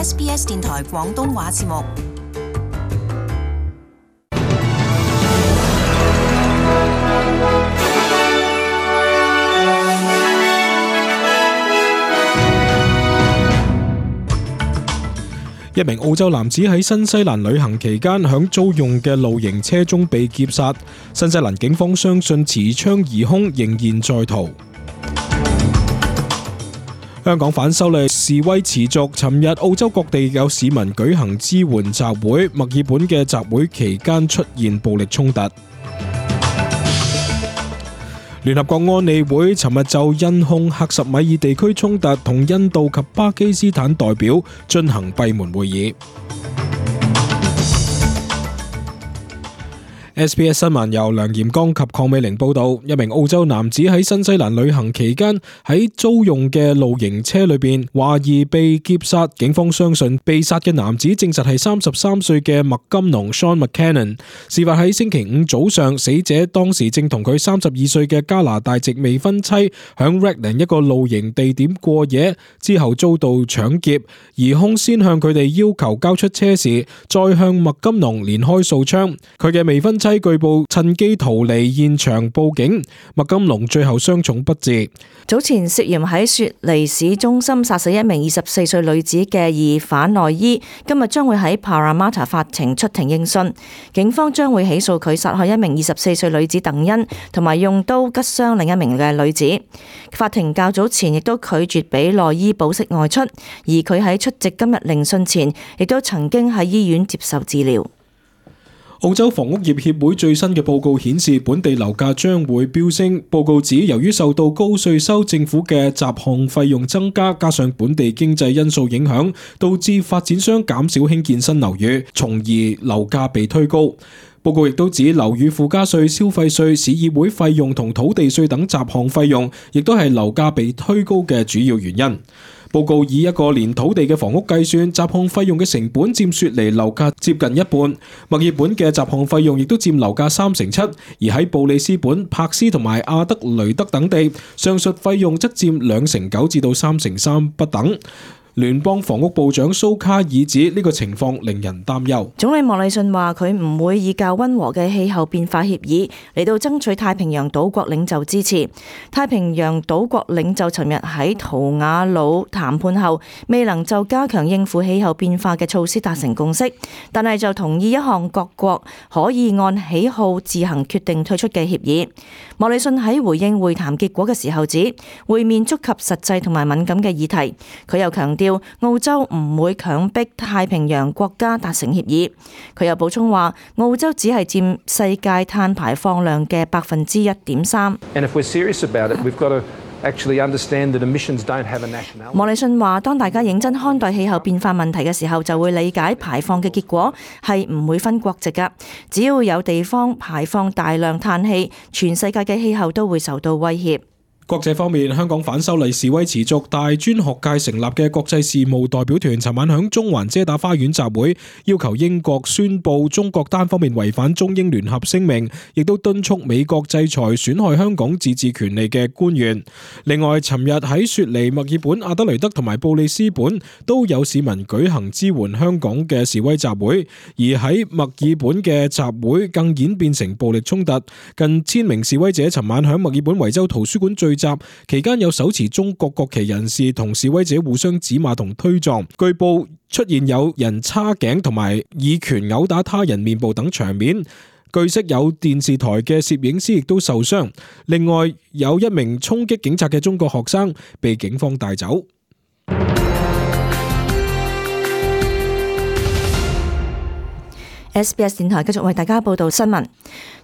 SBS 電台廣東話節目。一名澳洲男子喺新西蘭旅行期間響租用嘅露營車中被劫殺，新西蘭警方相信持槍疑兇仍然在逃。香港反修例示威持續，尋日澳洲各地有市民舉行支援集會，墨爾本嘅集會期間出現暴力衝突。聯合國安理會尋日就印控克什米爾地區衝突同印度及巴基斯坦代表進行閉門會議。SBS 新聞由梁炎剛及鄺美玲報道，一名澳洲男子喺新西蘭旅行期間喺租用嘅露營車裏邊懷疑被劫殺，警方相信被殺嘅男子證實係33歲嘅麥金農 Sean McCannon。事發喺星期五早上，死者當時正同佢32歲嘅加拿大籍未婚妻響 Redland 一個露營地點過夜，之後遭到搶劫，疑兇先向佢哋要求交出車匙，再向麥金農連開數槍，佢嘅未婚妻據報趁機逃離現場報警，麥金龍最後傷重不治。早前涉嫌喺雪梨市中心殺死一名24歲女子嘅疑犯內伊，今日將會喺 Parramatta 法庭出庭應訊，警方將會起訴佢殺害一名24歲女子鄧恩，同埋用刀拮傷另一名嘅女子。法庭較早前亦都拒絕俾內伊保釋外出，而佢喺出席今日聆訊前，亦都曾經喺醫院接受治療。澳洲房屋業協會最新嘅報告顯示，本地樓價將會飆升。報告指，由於受到高稅收、政府嘅雜項費用增加，加上本地經濟因素影響，導致發展商減少興建新樓宇，從而樓價被推高。報告亦都指，樓宇附加稅、消費稅、市議會費用同土地稅等雜項費用，亦都係樓價被推高嘅主要原因。報告以一個連土地嘅房屋計算，雜項費用嘅成本佔雪梨樓價接近一半。墨爾本嘅雜項費用亦都佔樓價7%，而喺布里斯本、柏斯同埋阿德雷德等地，上述費用則佔2%9%至到3%3%不等。聯邦房屋部長蘇卡爾指呢個情況令人擔憂。總理莫里遜話佢唔會以較溫和嘅氣候變化協議嚟到爭取太平洋島國領袖支持。太平洋島國領袖尋日喺圖瓦魯談判後，未能就加強應付氣候變化嘅措施達成共識，但係就同意一項各國可以按喜好自行決定退出嘅協議。莫里遜喺回應會談結果嘅時候指，會面觸及實際同埋敏感嘅議題。佢又強調澳洲唔會強迫太平洋國家達成協議。佢又補充話，澳洲只係佔世界碳排放量嘅1.3%。莫里遜話，當大家認真看待氣候變化問題嘅時候，就會理解排放嘅結果係唔會分國籍㗎。只要有地方排放大量碳氣，全世界嘅氣候都會受到威脅。國際方面，香港反修例示威持續，大專學界成立嘅國際事務代表團尋晚響中環遮打花園集會，要求英國宣布中國單方面違反中英聯合聲明，亦都敦促美國制裁損害香港自治權利嘅官員。另外，尋日喺雪梨、墨爾本、阿德雷德同埋布里斯本都有市民舉行支援香港嘅示威集會，而喺墨爾本嘅集會更演變成暴力衝突，近1000名示威者尋晚響墨爾本維州圖書館聚集，期間有手持中國國旗人士同示威者互相指罵同推撞，據報出現有人叉頸同埋以拳毆打他人面部等場面。據悉有電視台嘅攝影師亦都受傷。另外有一名衝擊警察嘅中國學生被警方帶走。SBS 電台繼續為大家報道新聞。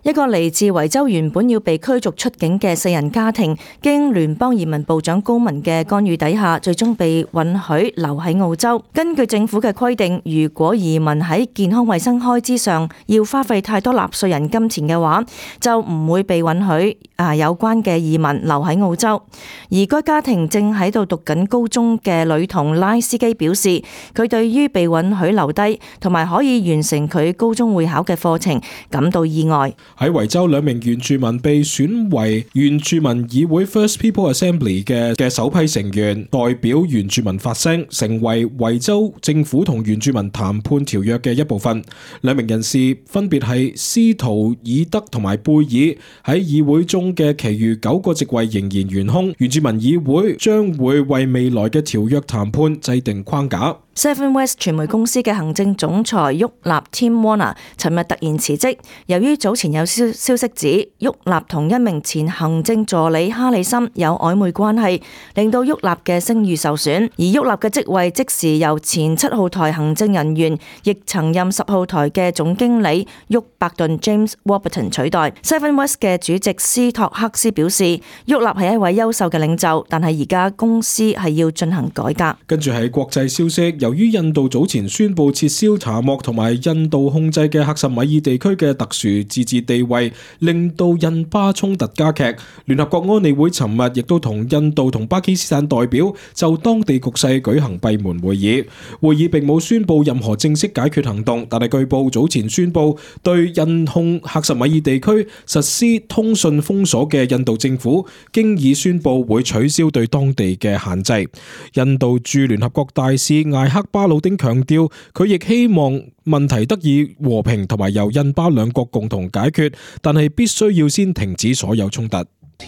一個嚟自維州原本要被驅逐出境嘅4人家庭，經聯邦移民部長高文嘅干預底下，最終被允許留喺澳洲。根據政府嘅規定，如果移民喺健康衛生開支上要花費太多納稅人金錢嘅話，就唔會被允許有關嘅移民留喺澳洲。而該家庭正喺度讀緊高中嘅女童拉斯基表示，佢對於被允許留低同埋可以完成佢高中會考嘅課程感到意外。喺維州2名原住民被選為原住民議會 First People Assembly 嘅首批成員，代表原住民發聲，成為維州政府同原住民談判條約嘅一部分。2名人士分別係斯圖爾德同埋貝爾，喺議會中嘅其餘9個席位仍然懸空。原住民議會將會為未來嘅條約談判制定框架。Seven West 傳媒公司嘅行政總裁沃納 Tim Warner 尋日突然辭職，由於早前有消息指沃納同一名前行政助理哈里森有曖昧關係，令到沃納嘅聲譽受損，而沃納嘅職位即時由前7號台行政人員，亦曾任10號台嘅總經理沃伯頓 James Warburton 取代。Seven West 嘅主席斯托克斯表示，沃納係一位優秀嘅領袖，但係而家公司係要進行改革。跟住係國際消息。由於印度早前宣布撤銷查莫同埋印度控制嘅克什米爾地區嘅特殊自治地位，令到印巴衝突加劇。聯合國安理會尋日亦都同印度同巴基斯坦代表就當地局勢舉行閉門會議。會議並冇宣布任何正式解決行動，但係據報早前宣布對印控克什米爾地區實施通訊封鎖嘅印度政府，經已宣布會取消對當地嘅限制。印度駐聯合國大使艾克巴魯丁強調，佢亦希望問題得以和平同埋由印巴兩國共同解決，但係必須要先停止所有衝突。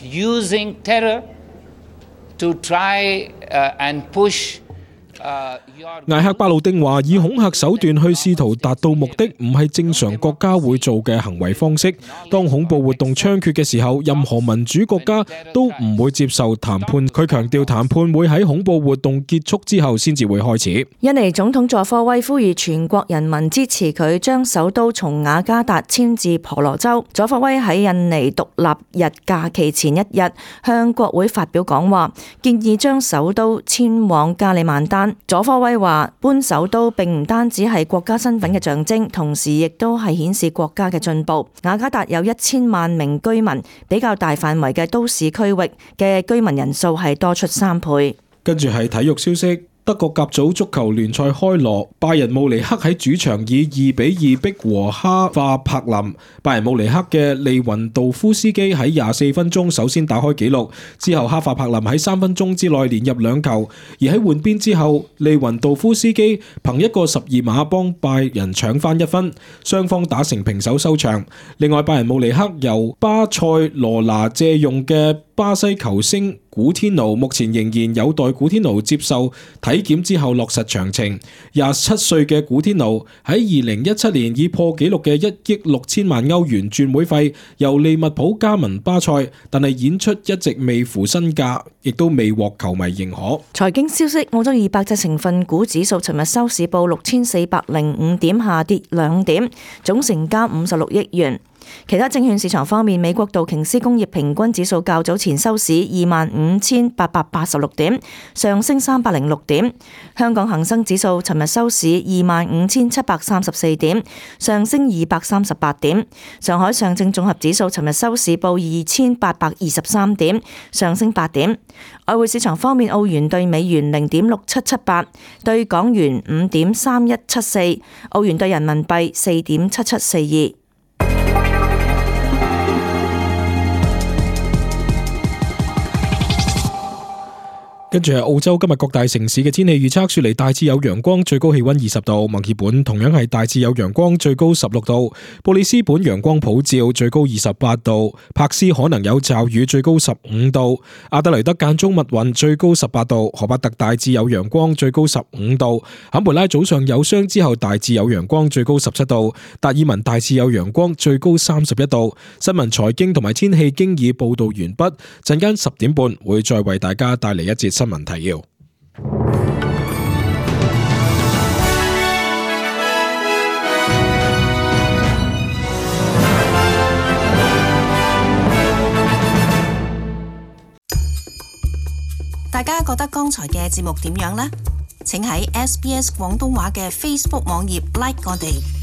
Using terror to try and push艾克巴魯丁話：以恐嚇手段去試圖達到目的，唔係正常國家會做嘅行為方式。當恐怖活動猖獗嘅時候，任何民主國家都唔會接受談判。佢強調談判會喺恐怖活動結束之後先至會開始。印尼總統佐科威呼籲全國人民支持佢將首都從雅加達遷至婆羅洲。佐科威喺印尼獨立日假期前一日向國會發表講話，建議將首都遷往加里曼丹。佐科威話：搬首都並唔單止係國家身份嘅象徵，同時亦都係顯示國家嘅進步。雅加達有1000萬名居民，比較大範圍嘅都市區域嘅居民人數係多出3倍。跟住係體育消息。德國甲組足球聯賽開鑼，拜仁慕尼黑喺主場以2-2逼和哈化柏林。拜仁慕尼黑嘅利雲道夫斯基喺24分鐘首先打開紀錄，之後哈化柏林喺3分鐘之內連入2球，而喺換邊之後，利雲道夫斯基憑一個12碼幫拜仁搶翻1分，雙方打成平手收場。另外，拜仁慕尼黑由巴塞羅那借用嘅巴西球星古天奴目前仍然有待古天奴接受體檢之後落實詳情。27歲嘅古天奴喺2017年以破紀錄嘅1億6千萬歐元轉會費由利物浦加盟巴塞，但係演出一直未符身價，亦都未獲球迷認可。財經消息：澳洲200隻成分股指數尋日收市報6405點，下跌2點，總成交56億元。其他證券市場方面，美國道瓊斯工業平均指數較早前收市25,886點，上升306點。香港恒生指數尋日收市25,734點，上升238點。上海上證綜合指數尋日收市報2,823點，上升8點。外匯市場方面，澳元對美元0.6778，對港元5.3174，澳元對人民幣4.7742。跟住係澳洲今日各大城市嘅天氣預測：雪梨大致有陽光，最高氣溫20度；墨爾本同樣係大致有陽光，最高16度；布里斯本陽光普照，最高28度；柏斯可能有驟雨，最高15度；阿德雷德間中密雲，最高18度；荷伯特大致有陽光，最高15度；坎培拉早上有霜之後大致有陽光，最高17度；達爾文大致有陽光，最高31度。新聞財經同埋天氣經已報道完畢，陣間10點半會再為大家帶嚟一節新聞提要。大家覺得剛才嘅節目點樣呢？請喺SBS 廣東話嘅 Facebook 網頁 like 我哋。